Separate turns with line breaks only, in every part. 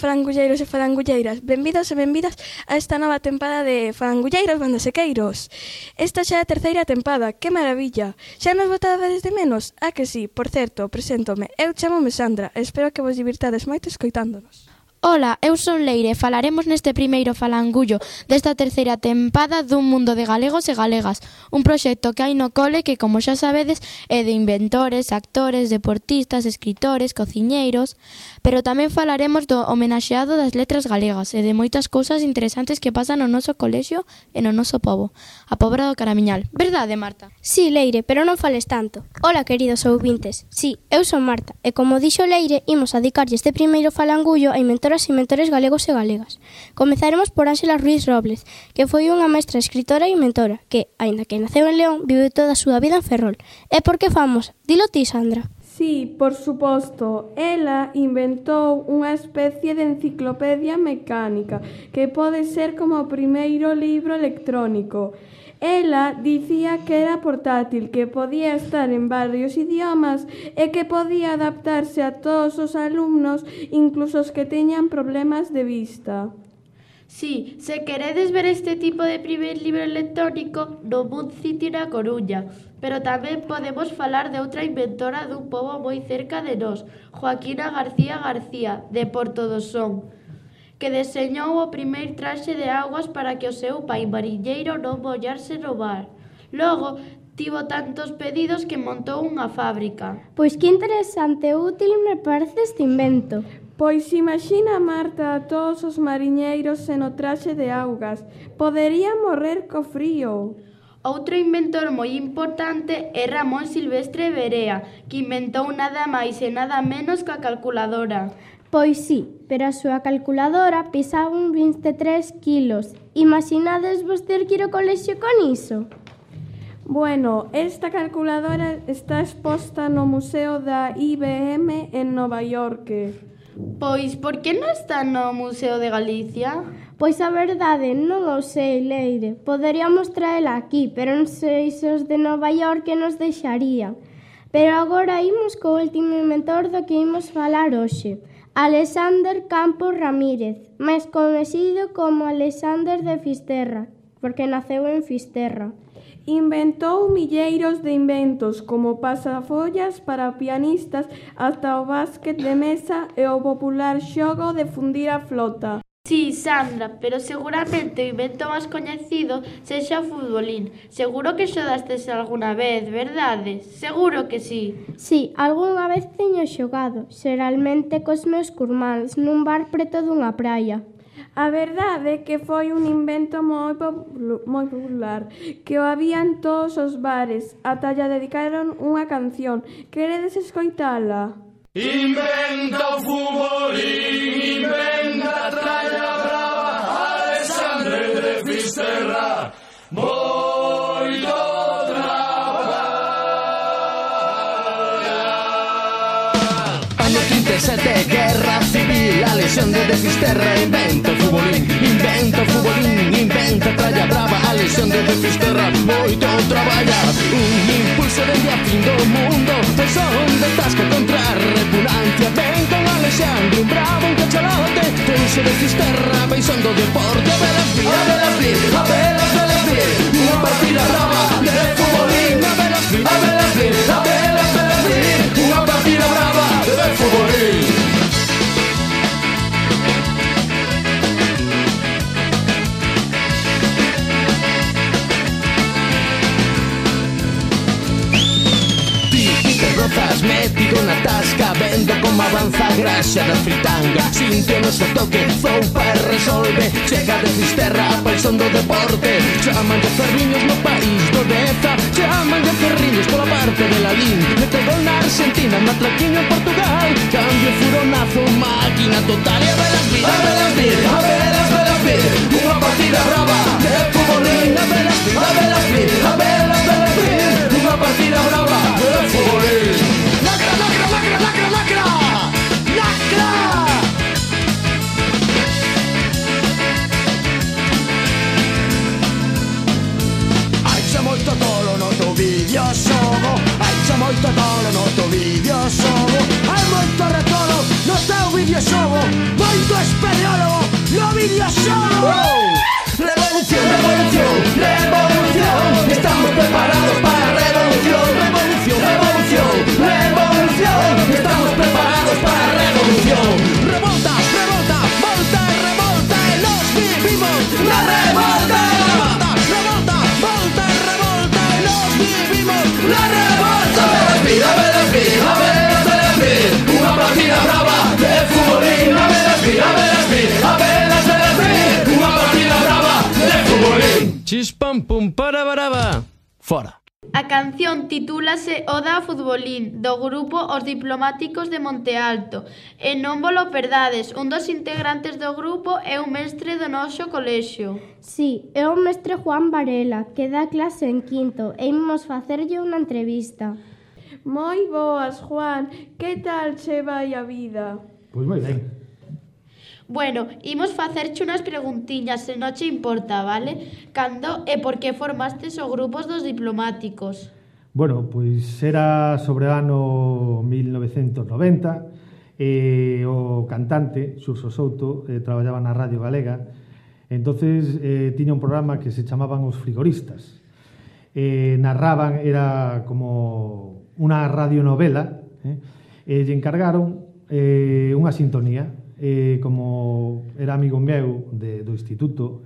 falangulleiros e falangulleiras, benvidos e benvidas a esta nova tempada de Falangulleiros Bandasequeiros. Esta xa é a terceira tempada, que maravilla! Xa nos botades de menos? Ah que sí, por certo, preséntome, eu chamome Sandra, e espero que vos divirtades moito escoitándonos.
Ola, eu son Leire e falaremos neste primeiro falangullo desta terceira tempada dun mundo de galegos e galegas, un proxecto que hai no cole que, como xa sabedes, é de inventores, actores, deportistas, escritores, cociñeiros, pero tamén falaremos do homenaxeado das letras galegas e de moitas cousas interesantes que pasan no noso colexio e no noso pobo, a Pobra do Caramiñal. Verdade, Marta?
Sí, Leire, pero non fales tanto. Ola, queridos ouvintes. Sí, eu son Marta, e como dixo Leire, imos a dedicarlle este primeiro falangullo a inventoras e inventores galegos e galegas. Comezaremos por Ángela Ruiz Robles, que foi unha mestra escritora e inventora, que, aínda que naceu en León, vive toda a súa vida en Ferrol. E por que famosa? Dilo ti, Sandra.
Sí, por suposto. Ela inventou unha especie de enciclopedia mecánica que pode ser como o primeiro libro electrónico. Ela dicía que era portátil, que podía estar en varios idiomas e que podía adaptarse a todos os alumnos, incluso os que teñan problemas de vista.
Sí, se queredes ver este tipo de primer libro electrónico no Mood City na Coruña, pero tamén podemos falar de outra inventora dun pobo moi cerca de nós, Joaquina García García, de Porto do Son, que deseñou o primeiro traxe de augas para que o seu pai mariñeiro non mollarse no mar. Logo, tivo tantos pedidos que montou unha fábrica.
Pois que interesante e útil me parece este invento.
Pois imagina, Marta, a todos os mariñeiros sen o traxe de augas. Poderían morrer co frío.
Outro inventor moi importante é Ramón Silvestre Berea, que inventou nada máis e nada menos que a calculadora.
Pois sí, pero a súa calculadora pesaba un 23 kilos. Imaginades vos ter que ir ao colexio con iso?
Bueno, esta calculadora está exposta no Museo da IBM en Nova York.
Pois, por que non está no Museo de Galicia?
Pois a verdade, non o sei, Leire. Poderíamos traela aquí, pero non sei se os de Nova York nos deixarían. Pero agora imos co último inventor do que imos falar hoxe. Alexander Campos Ramírez, máis coñecido como Alexander de Fisterra, porque naceu en Fisterra.
Inventou milleiros de inventos, como pasafollas para pianistas ata o básquet de mesa e o popular xogo de fundir a flota.
Sí, Sandra, pero seguramente o invento máis coñecido sexa o futbolín. Seguro que xodastes alguna vez, verdade? Seguro que sí.
Sí, algunha vez teño xogado, xeralmente cos meus curmáns, nun bar preto dunha praia.
A verdade é que foi un invento moi popular, que o había en todos os bares, ata lle dedicaron unha canción. Queredes escoitala?
Inventa o futbolín, inventa a tralla brava, Alexandre de Fisterra, moito traballa.
Año 37, guerra civil, Alexandre de Fisterra inventa o futbolín, inventa o futbolín, inventa a tralla brava, Alexandre de Fisterra, moito traballa. Un impulso dende a fin do mundo, son de tasca contra a repugnancia. Ven con Alexandre, un bravo, un cachalote, pulso de Fisterra, ven son do deporte. A velas vir, a velas vir, a velas vir, unha partida brava de futbolín. A velas vir, a velas vir, a velas vir, unha partida brava de futbolín. Rozas metido na tasca, vendo como avanza a graxa da fritanga. Sinte o noso toque, zoupa e resolve. Chega de Fisterra, a paixón do deporte. Chaman de ferriños no país do Deza, chaman de ferriños pola parte de Lalín. Mete gol na Argentina, matraquiño en Portugal. Cambio furonazo, máquina total. E a velas vir, a velas vir, a velas vir, unha partida brava de futbolín. A velas vir, a velas vir, a velas vir, unha partida brava de futbolín. Lacra, lacra, lacra, lacra, lacra, lacra. Hai xa moito tolo no teu videoxogo, hai xa moito tolo no teu videoxogo, hai moito retolo no teu videoxogo, moito Tu espeleólogo no vídeo solo. Revolución, revolución, revolución. Estamos preparados para revolución. Revolución, revolución, revolución. Estamos preparados para revolución. Revolta, revolta, volta, revolta. Y los vivimos la revolta. Revolta, revolta, volta, revolta. Y los vivimos la revolta. A ver, una partida brava de futbolín. A ver, una partida brava de futbolín. Chispam pum para baraba. Fora.
A canción titúlase Oda a Futbolín, do grupo Os Diplomáticos de Monte Alto. E non volo perdades, un dos integrantes do grupo é un mestre do noso colexio.
Sí, é o mestre Juan Varela, que dá clase en quinto, e imos facerlle unha entrevista.
Moi boas, Juan. Que tal che vai a vida?
Pois moi ben.
Bueno, imos facerche unhas preguntiñas, se non che importa, vale? Cando e por que formastes o grupos dos diplomáticos?
Bueno, pois era sobre o ano 1990 e o cantante, Xurxo Souto, traballaba na Radio Galega. Entonces tiña un programa que se chamaban Os Frigoristas. Narraban, era como unha radionovela, e lle encargaron unha sintonía. Como era amigo meu do instituto,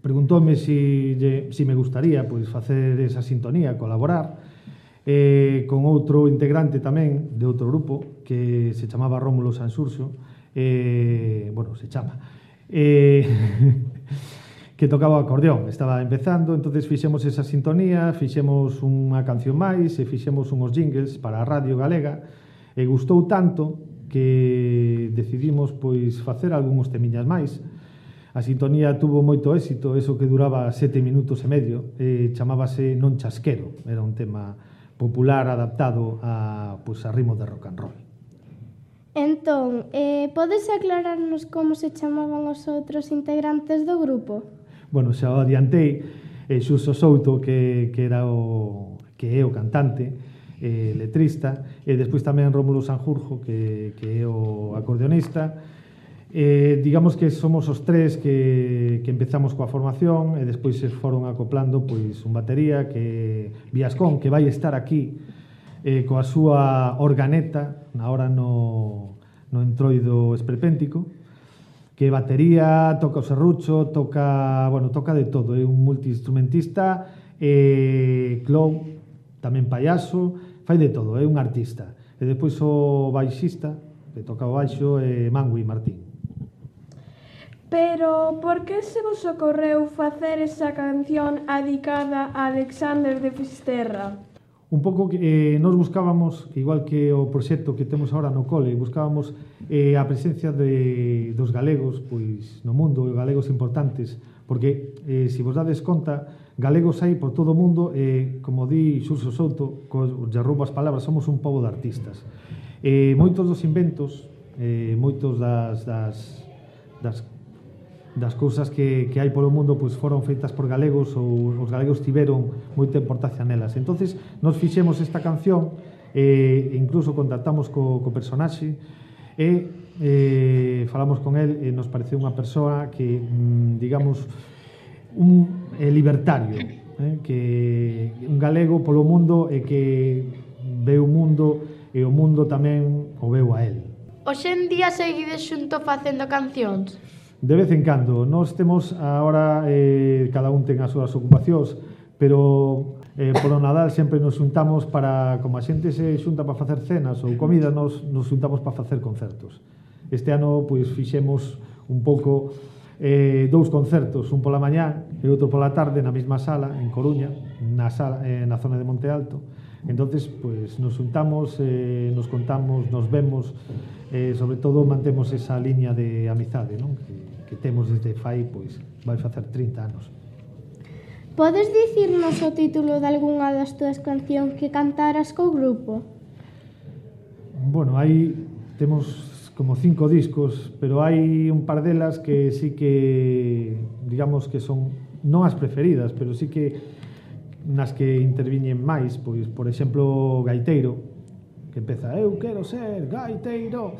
preguntoume si me gustaría pois facer esa sintonía, colaborar con outro integrante tamén de outro grupo que se chamaba Rómulo Sanxurxo, bueno, se chama, que tocaba o acordeón, estaba empezando. Entonces fixemos esa sintonía, fixemos unha canción máis e fixemos uns jingles para a Radio Galega, e gustou tanto que decidimos pois facer algúns temiñas máis. A sintonía tuvo moito éxito, eso que duraba 7 minutos e medio, chamábase Non Chasquero, era un tema popular adaptado a ritmo de rock and roll.
Entón, podes aclararnos como se chamaban os outros integrantes do grupo?
Bueno, xa o adiantei, Xurxo Souto, que é o cantante, letrista, e despois tamén Rómulo Sanxurxo, que é o acordeonista. Digamos que somos os tres que empezamos coa formación, e despois se foron acoplando pois un batería, que Viascón, que vai estar aquí coa súa organeta na hora no entroido esperpéntico, que batería, toca o serrucho, toca de todo, é un multiinstrumentista, clown, tamén payaso, fai de todo, é un artista. E despois o baixista, que toca o baixo, é Mangui Martín.
Pero por que se vos ocorreu facer esa canción adicada a Alexander de Fisterra?
Un pouco que nos buscábamos, igual que o proxecto que temos agora no cole, buscábamos a presencia dos galegos pois no mundo, e galegos importantes, porque se vos dades conta, galegos hai por todo o mundo, e como di Xurxo Souto, lle roubo as palabras, somos un pobo de artistas. Moitos dos inventos, moitos das cousas que hai polo mundo pois foron feitas por galegos, ou os galegos tiveron moita importancia nelas. Entonces nos fixemos esta canción, incluso contactamos co personaxe, e falamos con el, e nos pareceu unha persoa que, digamos, un libertario, que un galego polo mundo, e que ve o mundo, e o mundo tamén o veu a él.
Hoxe en día seguides xunto facendo cancións?
De vez en cando. Nós temos agora, cada un ten as súas ocupacións, pero polo Nadal sempre nos xuntamos para, como a xente se xunta para facer cenas ou comida, nos xuntamos para facer concertos. Este ano pois fixemos un pouco dous concertos, un pola mañá e outro pola tarde na mesma sala en Coruña, na zona de Monte Alto. Entonces, pois nos xuntamos, nos contamos, nos vemos, sobre todo mantemos esa liña de amizade, non? Que temos desde fai, pois, vai facer 30 anos.
Podes dicirnos o título de algunha das túas cancións que cantaras co grupo?
Bueno, temos como 5 discos, pero hai un par delas que sí que, digamos que son non as preferidas, pero sí que nas que interviñen máis, pois, por exemplo, Gaiteiro, que empeza, eu quero ser gaiteiro.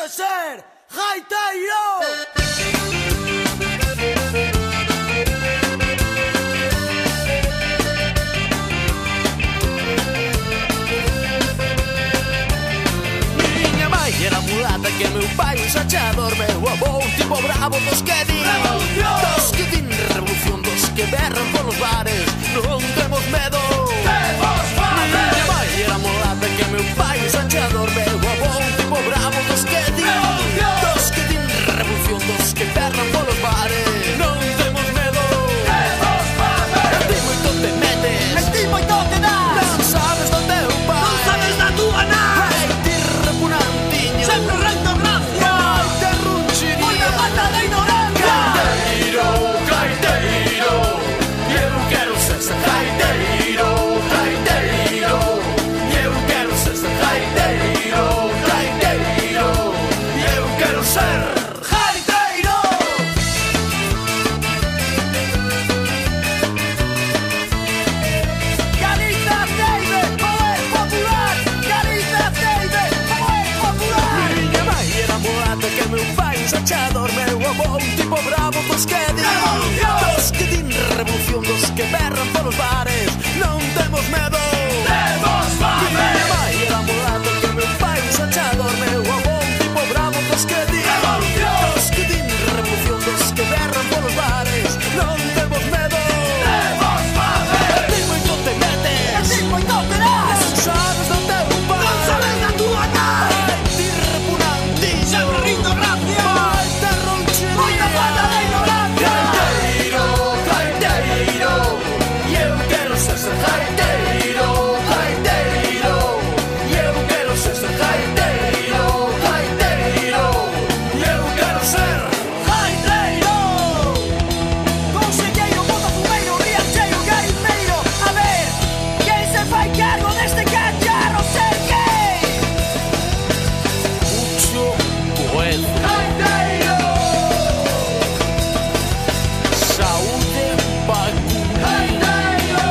quero ser gaiteiro.
Miña mãe era mulata que meu pai un sachador. Meu avó un tipo bravo dos que din revolución, dos que berran polos bares. Non temos medo. Miña mãe era mulata que meu pai un sachador. Meu avó un tipo bravo dos que din revolución, dos que berran polos bares. Non temos medo. A ti moito te metes, a ti moito te das. Non sabes do teu pai, non sabes da tua nai. Ai, ti repugnantiño, sempre recto rancia. Ai, te runchiría, moita falta de ignorancia. Gaiteiro, gaiteiro, eu quero ser gaiteiro, gaiteiro. Eu quero ser gaiteiro, gaiteiro. Eu quero ser gaiteiro. Galiza Teide, poder popular. Galiza Teide, poder popular. Miña mãe era mulata que meu pai un sachador. Meu avó un tipo bravo dos que din revolución, dos que berran polos bares. Non temos medo. Temos fame. Miña mãe era mulata que meu pai un sachador. Meu avó un tipo bravo dos que din revolución, dos que berran polos bares. Non temos medo. Temos fame. A ti moito te metes, a ti moito te das. Non sabes do teu pai, non sabes da tua nai. Ai, ti repugnantiño, sempre rindo rancia. Ai, te ronchería, moita falta de ignorancia. Gaiteiro, gaiteiro, eu quero ser gaiteiro, gaiteiro. Eu quero ser gaiteiro, gaiteiro. Eu quero ser gaiteiro. Conselleiro, boto fumeiro, riancheiro, gaiteiro. A ver, quen se fai cargo deste cacharro? Serguei Mucho bueno. Gaiteiro. Saúde vacuna. Gaiteiro.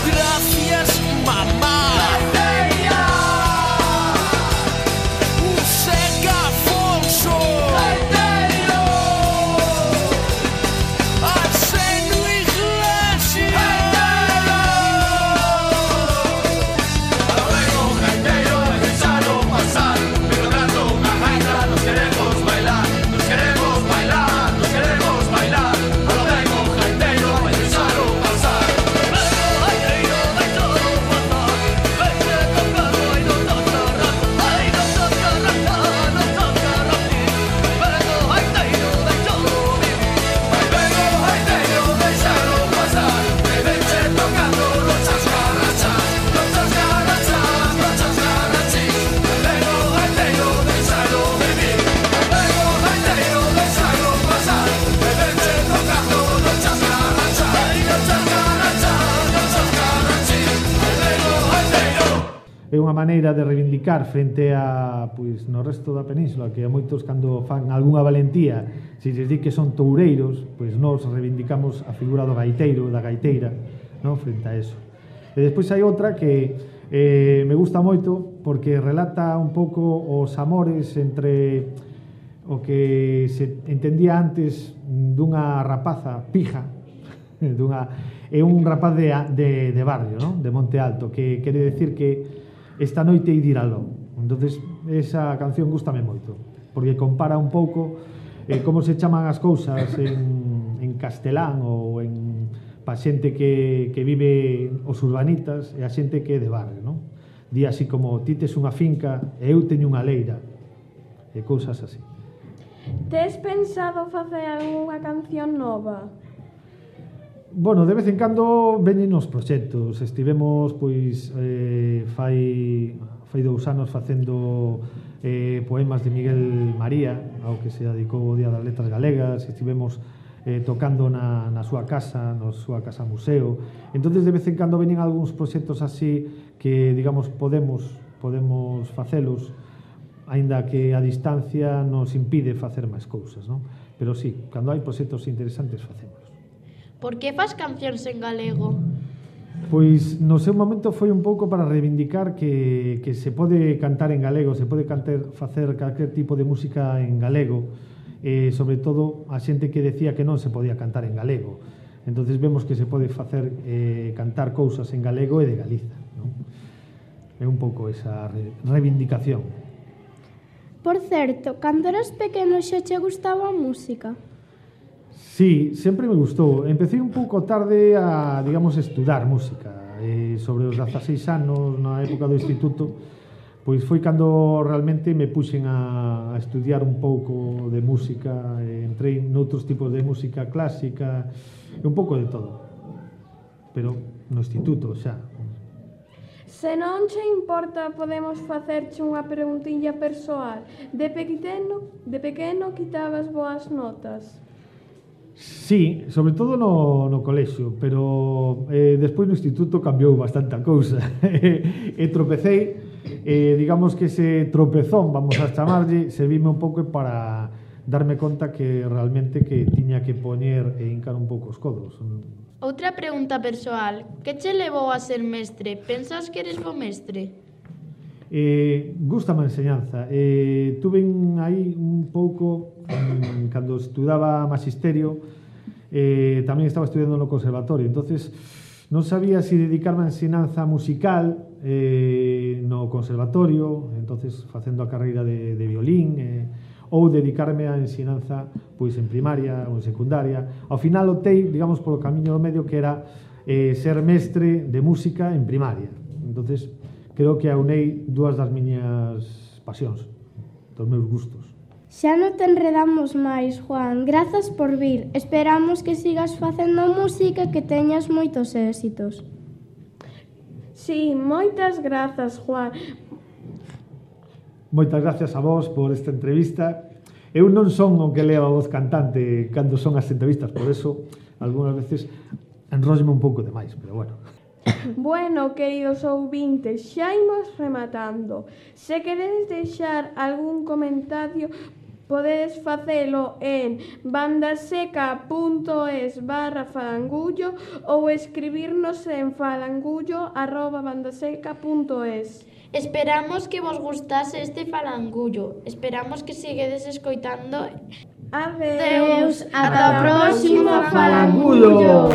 Gracias, mamá. Gaiteira. Un seca Afonso. Gaiteiro. Arsenio Iglesias. Gaiteiro. Luego gaiteiro es deixalo pasar. Pero dando unha gaita nos queremos bailar. Nos queremos bailar, nos queremos bailar. Luego gaiteiro es deixalo pasar. Luego gaiteiro deixalo pasar. Vete tocando e non toca rato. Ai, non toca rato, non toca rato. Luego gaiteiro deixalo vivir. Ai, luego gaiteiro deixalo pasar. E vete tocando non chascarrachas, non chascarrachas, non chascarrachis. Luego gaiteiro deixalo vivir. Ai, luego gaiteiro deixalo pasar. E vete tocando non chascarrachas, non chascarrachas, non chascarrachis. Luego gaiteiro.
É unha maneira de reivindicar frente a, pois, no resto da península, que a moitos cando fan algunha valentía, se lles di que son toureiros, pois nós reivindicamos a figura do gaiteiro, da gaiteira, non, frente a eso. E despois hai outra que me gusta moito porque relata un pouco os amores entre o que se entendía antes dunha rapaza pija, é un rapaz de barrio, non? De Monte Alto, que quere decir que esta noite hai de ir aló. Entonces, esa canción gustame moito, porque compara un pouco como se chaman as cousas en castelán ou en pa xente que vive os urbanitas e a xente que é de barrio, non? Di así como, ti tes unha finca e eu teño unha leira, e cousas así.
Tes pensado facer algunha canción nova?
Bueno, de vez en cando veñen os proxectos. Estivemos, pois, fai 2 anos facendo poemas de Miguel María, ao que se dedicou o Día das Letras Galegas. Estivemos tocando na súa casa, na súa casa museo. Entonces, de vez en cando veñen algúns proxectos así que, digamos, podemos facelos, aínda que a distancia nos impide facer máis cousas, non? Pero sí, cando hai proxectos interesantes, facémolos.
Por que fas cancións en galego?
Pois no seu momento foi un pouco para reivindicar que se pode cantar en galego, se pode facer calquer tipo de música en galego, sobre todo a xente que decía que non se podía cantar en galego. Entonces vemos que se pode facer cantar cousas en galego e de Galiza, non? É un pouco esa reivindicación.
Por certo, cando eras pequeno xa che gustaba a música?
Sí, sempre me gustou. Empecé un pouco tarde a, digamos, estudar música. Sobre os 16 anos, na época do instituto, pois foi cando realmente me puxen a estudiar un pouco de música. Entrei noutros tipos de música clásica, un pouco de todo. Pero no instituto xa.
Se non che importa, podemos facerche unha preguntilla persoal. De pequeno quitabas boas notas?
Sí, sobre todo no colexio, pero despois no instituto cambiou bastante a cousa. E tropecei, digamos que ese tropezón, vamos a chamarlle, servime un pouco para darme conta que realmente que tiña que poñer e hincar un pouco os codos.
Outra pregunta persoal. Que che levou a ser mestre? Pensas que eres bo mestre?
Gústame a enseñanza. Tuve aí un pouco, cando estudaba magisterio, tamén estaba estudiando no conservatorio, entonces non sabía se dedicarme a ensinanza musical no conservatorio, entonces facendo a carreira de violín, ou dedicarme á ensinanza pois en primaria ou en secundaria. Ao final optei, digamos, polo camiño do medio, que era ser mestre de música en primaria. Entonces, creo que aunei dúas das miñas pasións, dos meus gustos.
Xa non te enredamos máis, Juan. Grazas por vir. Esperamos que sigas facendo música e que teñas moitos éxitos.
Sí, moitas grazas, Juan.
Moitas gracias a vos por esta entrevista. Eu non son o que leva a voz cantante cando son as entrevistas, por eso, algunhas veces, enróllome un pouco demais, pero bueno.
Bueno, queridos ouvintes, xa imos rematando. Se queredes deixar algún comentario, podedes facelo en bandaseca.es/falangullo ou escribirnos en falangullo@bandaseca.es.
Esperamos que vos gustase este falangullo. Esperamos que seguedes escoitando.
Adeus.
Ata o próximo falangullo.